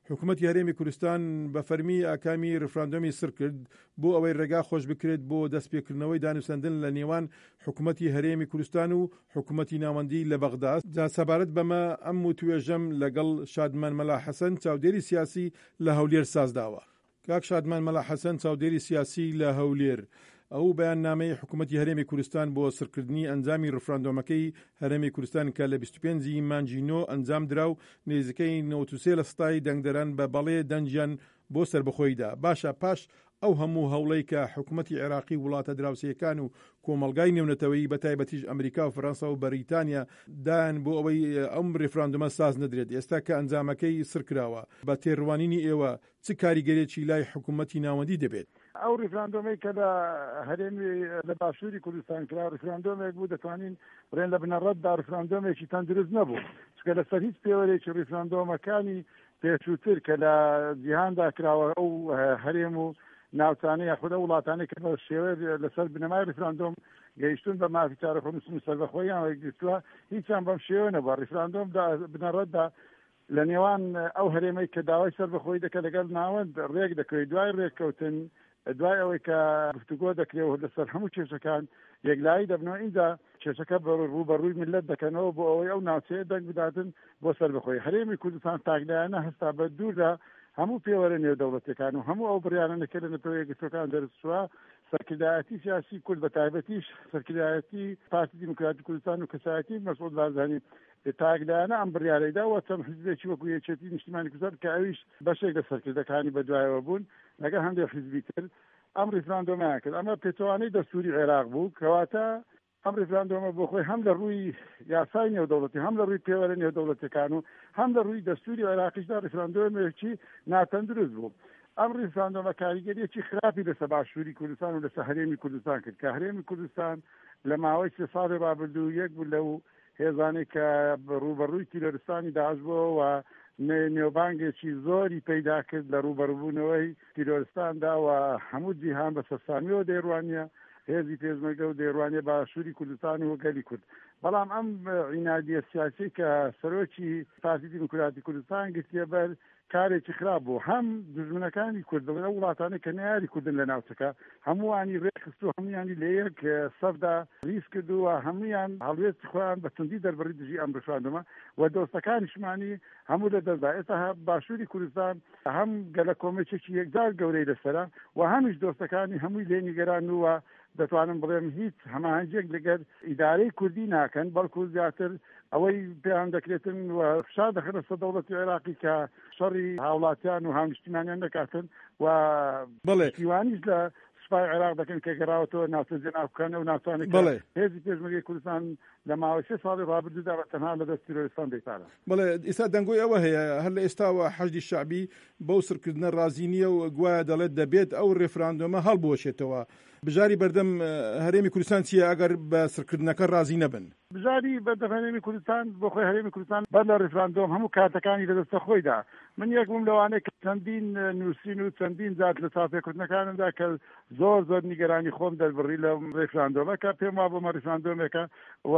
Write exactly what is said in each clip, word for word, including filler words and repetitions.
حکوومەتی هەرێمی کوردستان بە فەرمی ئاکامی ڕفراندۆمی سڕ کرد بۆ ئەوەی ڕێگا خۆش بکرێت بۆ دەستپێکردنەوەی دانوسەندن لە نێوان حکوومەتی هەرێمی کوردستان و حکوومەتی ناوەندی لە بەغدا. جا سەبارەت بەمە ئەم وتوێژەم لەگەڵ شادمان مەلا حەسەن چاودێری سیاسی لە هەولێر سازداوە. کاک شادمان مەلا حەسەن چاودێری سیاسی لە هەولێر، ئەو بەیاننامەی حکوومەتی هەرێمی کوردستان بۆ سڕکردنی ئەنجامی ڕفراندۆمەکەی هەرێمی کوردستان کە لە بیست و پێنج ی مانگی نۆ ئەنجام درا و نزیکەی نەوەد و سێ لە سەدای دەنگدەران بە بەڵێ دەنگیان بۆ سەربەخۆییدا، باشە پاش ئەو هەموو هەوڵەی کە حکوومەتی عێراقی وڵاتە دراوسێیەکان و کۆمەڵگای نێونەتەوەیی بە تایبەتیش ئەمریکا و فەرەنسا و بەریتانیا دایان بۆ ئەوەی ئەم ڕیفراندۆمە ساز نەدرێت، ئێستا کە ئەنجامەکەی سڕ کراوە، بە تێڕوانینی ئێوە چ کاریگەرێکی لای حکوومەتی ناوەندی دەبێت؟ ئەو ڕیفراندۆمەی کە لە هەرێمی لە باشووری کوردستان کرا ڕیفراندۆمێک بوو، دەتوانین بڵێن لە بنەڕەتدا ڕیفراندۆمێکی تەندروست نەبوو، چونکە لەسەر هیچ پێوەرێکی ڕیفراندۆمەکانی پێشووتر کە لە جیهاندا کراوە ئەو هەرێم و ناوچانە یاخود ئەو وڵاتانەی کە بە شێوەیە لەسەر بنەمای ڕیفراندۆم گەیشتون بە مافی چارەخۆنووسن و سەربەخۆییان وەرگرتووە، هیچیان بەم شێوە نەبووە. ڕیفراندۆم بنەڕەتدا لە نێوان ئەو هەرێمەی کە داوای سەربەخۆیی دەکات لەگەڵ ناوەند ڕێک دەکەوێت، دوای ڕێککەوتن دوای ئەوەی کە گفتوگۆ دەکرێت و لەسەر هەموو کێشەکان یەکلایی دەبنەوە، ئینجا کێشەکە ڕووبەڕووی ملت دەکەنەوە بۆ ئەوەی ئەو ناوچەیە دەنگ بداتن بۆ سەربەخۆیی. هەرێمی کوردستان تاکلایەنە هەستا بە دوور لە هەموو پێوەرە نێودەوڵەتیەکان و هەموو ئەو بڕیارانە کە لە نەتەوە یەکگرتووەکان دەرچووە، سەرکردایەتی سیاسی کورد بە تایبەتیش سەرکردایەتی پارتی دیموکراتی کوردستان و کەسایەتی مەسعود بارزانی تاکلایەنە ئەم بڕیارەیدا و چەند حیزبێکی وەکو یەکێتی نیشتیمانی کوردستان کە ئەویش بەشێک لە سەرکردەکانی بەدوایەوە بوون لەگەڵ هەندێک حیزبی تر ئەم ڕیفراندۆمیان کرد. ئەمە پێچەوانەی دەستوری عێراق بوو، کەواتە ئەم ڕیفراندۆمە بۆ خۆی هەم لە ڕووی یاسای نێودەوڵەتی، هەم لە ڕووی پێوەرە نێودەوڵەتیەکان و هەم لە ڕووی دەستوری عێراقیشدا ڕیفراندۆمێکی ناتەندروست بوو. ئەم ڕیفراندۆمە کاریگەریەکی خراپی لەسەر باشووری کوردستان و لەسەر هەرێمی کوردستان کرد کە هەرێمی کوردستان لە ماوەی سێ ساڵی ڕابردوو یەک بوو لەو هێزانەی کە ڕووبەڕووی تیرۆرستانی داعش بووەوە و نێوبانگێکی زۆری پەیدا کرد لە ڕووبەڕووبوونەوەی تیرۆرستاندا و هەموو جیهان بە سەرسامیەوە دەیڕوانیە هێزی پێشمەرگە و دەیڕوانیە باشووری کوردستان و گەلی کورد. بەڵام ئەم عینادیە سیاسی کە سەرۆکی پارتی دیموکراتی کوردستان گرتیە بەر کارێکی خراپ بوو. هەم دوژمنەکانی کورد بڵێن ئەو وڵاتانەی کە نەیاری کوردن لە ناوچەکە هەمووانی ڕێکخست و هەمویانی لە یەک سەفدا ریز کرد و هەمویان هەڵوێستی خۆیان بە توندی دەربڕی دژی ئەم ڕیفراندۆمە و دۆستەکانیشمانی هەموو لە دەستدا. ئێستا باشووری کوردستان هەم گەلە کۆمێکێکی یەکجار گەورەی لەسەرە و هەمیش دۆستەکانی هەمووی لێ نیگەران و دەتوانم بڵێم هیچ هەماهەنگیەک لەگەر ئیدارەی کوردی ناکەن، بەڵکو زیاتر ئەوەی پێیان دەکرێتن و فشار دەخەنە سەر دەوڵەتی عێراقی کە شەڕی هاوڵاتیان و هاونیشتیمانیان نەکاتن و پشتیوانیش لە سوپای عێراق دەکەن کە گەڕاوەتەوە ناوچە جێناوکەکان ئەو ناوچانەی کە هێزی پێشمەرگەی کوردستان لە ماوەی سێ ساڵی ڕابردوودا بە تەنها لە دەست تیرۆریستان دەیپاراست. بەڵێ، ئێستا دەنگۆی ئەوە هەیە هەر لە ئێستاوە حەشدی شەعبی بەو سڕکردنە ڕازی نییە و گوایە دەڵێت دەبێت ئەو ڕێفراندۆمە هەڵبوەشێتەوە. بژاری بەردەم هەرێمی کوردستان چییە ئەگەر بە سڕکردنەکە ڕازی نەبن؟ بژاری بەردەم هەرێمی کوردستان بۆ خۆی هەرێمی کوردستان بەر لە ڕیفراندۆم هەموو کارتەکانی لە دەستە خۆیدا. من یەک بووم لەوانەیە کە چەندین نووسین و چەندین جار لە چاوپێکەوتنەکانمدا کە زۆر زۆر نیگەرانی خۆم دەربڕی لە ڕیفراندۆمە کە پێم وابوو ئەمە ڕیفراندۆمێکە و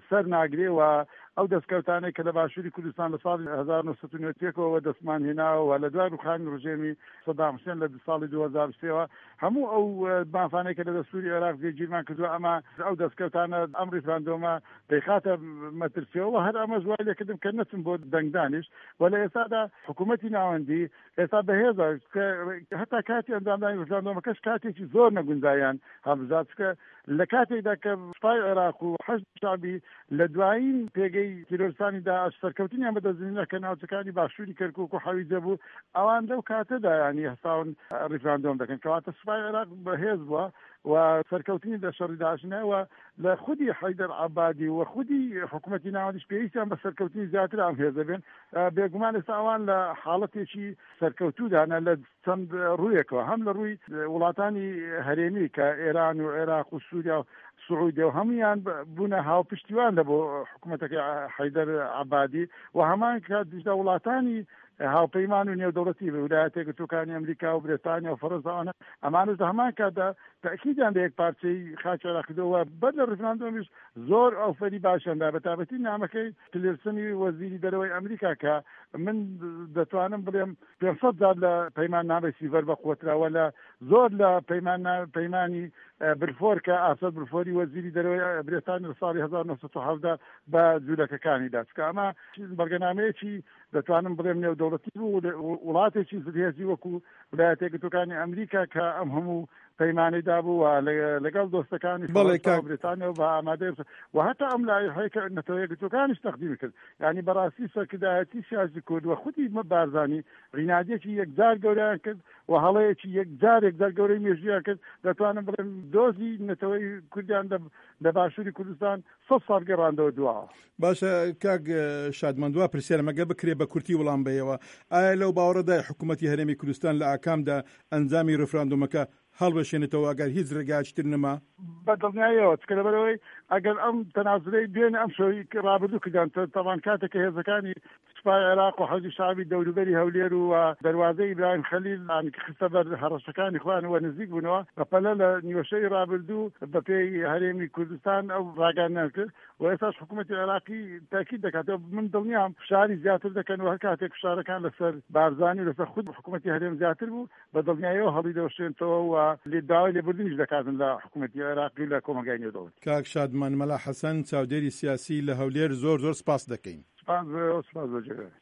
سەر ناگرێ و ئەو دەستکەوتانەی کە لە باشووری کوردستان لە ساڵی هەزار و نۆ سەد و نەوەد و یەک ەوە دەستمان هێناوە و لە دوای ڕووخانی ڕژێمی سەدام حوسێن لە ساڵی دوو هەزار و سێ ەوە هەموو ئەو مافانەی کە لە دەستوری عێراق جێگیرمان کردووە ئەمە ئەو دەستکەوتانە ئەم ڕیفراندۆمە دەیخاتە مەترسیەوە. هەر ئەمەش وای لێکردم کە نەچم بۆ دەنگدانیش. و لە ئێستادا حکوومەتی ناوەندی ئێستا بەهێزە کە هەتا کاتی ئەنجامدانی ڕیفراندۆمەکەش کاتێکی زۆر نەگونجاویان هەڵبژارد، چونکە لە کاتێکدا کە سوپای عێراق و حەشدی شەعبی لە دوایین پێگەی تیرۆرستانی داعش سەرکەوتنیان بەدەستهێنا کە ناوچەکانی باشووری کەرکووک و حەویجە بوو، ئەوان لەو کاتەدا یانی هەستاون ڕیفراندۆم دەکەن، کەواتە سوپای عێراق بەهێز بووە و سەرکەوتنی لە شەڕی داعش هێنا و لە خودی حەیدەر عەبادی و خودی حکوومەتی ناوەندیش پێویستیان بە سەرکەوتنی زیاتر ئەم هێزە بێن. بێگومان ئێستا ئەوان لە حاڵەتێکی سەرکەوتوودانە لە چەند ڕوویەکەوە، هەم لە ڕووی وڵاتانی هەرێمی کە ئێران و عێراق و سووریا و سعودیە و هەمویان بوونە هاوپشتیوان لە بۆ حکوومەتەکەی حەیدەر عەبادی و هەمان کاتیشدا وڵاتانی هاوپەیمان و نێودەوڵەتی ویلایەتە یەکگرتووەکانی ئەمریکا و برێتانیا و فەرەنسا ئەوانە ئەمانەش لە هەمان کاتدا تەئکیدیان لە یەکپارچەیی خاکی عێراق کردەوە و بەر لە ڕیفراندۆمیش زۆر ئۆفەری باشیان دا بەتایبەتی نامەکەی تیلرسنی وەزیری دەرەوەی ئەمریکا کە من دەتوانم بڵێم پێنج سەد جار لە پەیماننامەی سیڤەر بەقوەترە و لە زۆر لە پەیمانی بلفۆر کە ئارسەر بلفۆری وەزیری دەرەوەی برێتانیا لە ساڵی هەزار و نۆ سەد و حەڤدە بە جوولەکەکانی دا چونکە ئەمە بەڵگەنامەیەکی دەتوانم بڵێم نێودەوڵەتی بوو وڵاتێکی زلهێزی وەکو ویلایەتە یەکگرتووەکانی ئەمریکا کە ئەم هەموو پەیمانەی دابوو و لەگەڵ دۆستەکانی فەرەنسا و بریتانیا و بە ئامادەی و هەتا ئەم لایحەی کە نەتەوە یەکگرتووەکانیش تەقدیمی کرد یانی بەڕاستی سەرکردایەتی سیاسی کورد و خودی بارزانی عینادیەکی یەکجار گەورەیان کرد و هەڵەیەکی یەکجار یەکجار گەورەی مێژوویان کرد دەتوانم بڵێم دۆزی نەتەوەی کوردیان لە باشووری کوردستان سەد ساڵ گەڕاندەوە دواوە. باشە کاک شادمان دوا پرسیارم ئەگەر بکرێ بە کورتی وڵام بەیەوە ئایا لەو باوەڕەدای حکوومەتی هەرێمی کوردستان لە ئاکامدا ئەنجامی ڕیفراندۆمەکە هەڵوەشێنێتەوە ئەگەر هیچ ڕێگایەکی تر نەما؟ بە دڵنیاییەوە، چونکە لەبەرئەوەی ئەگەر ئەم تەنازولەی دوێنێ ئەم شەوی ڕابردوو کردیان، تەبعەن کاتێک کە هێزەکانی سوپای عێراق و حەشدی شەعبی دەوروبەری هەولێر و دەروازەی ئیبراهیم خەلیل خستە بەر هەڕەشەکانی خۆیان و نزیک بوونەوە، بەپەلە لە نیوەشەوی ڕابردوو بەپێی هەرێمی کوردستان ئەو ڕاگەیاندنەیان کرد و ئێستاش حکوومەتی عێراقی تاکید دەکاتەوە، من دڵنیام فشاری زیاتر دەکەن و هەر کاتێک فشارەکان لەسەر بارزانی و لەسەر خود حکوومەتی هەرێم زیاتر بوو بە دڵنیاییەوە هەڵیدەوەشێنتەوە و داوای لێبوردنیش دەکاتن لە حکوومەتی عێراقی و لە کۆمەڵگای نێودەوڵەتی. کاک شادمان مەلا حەسەن، چاودێری سیاسی لە هەولێر زۆر زۆر سپاست دەکەین. سپاس بۆ ئێوە، سپاس بۆ جێگای.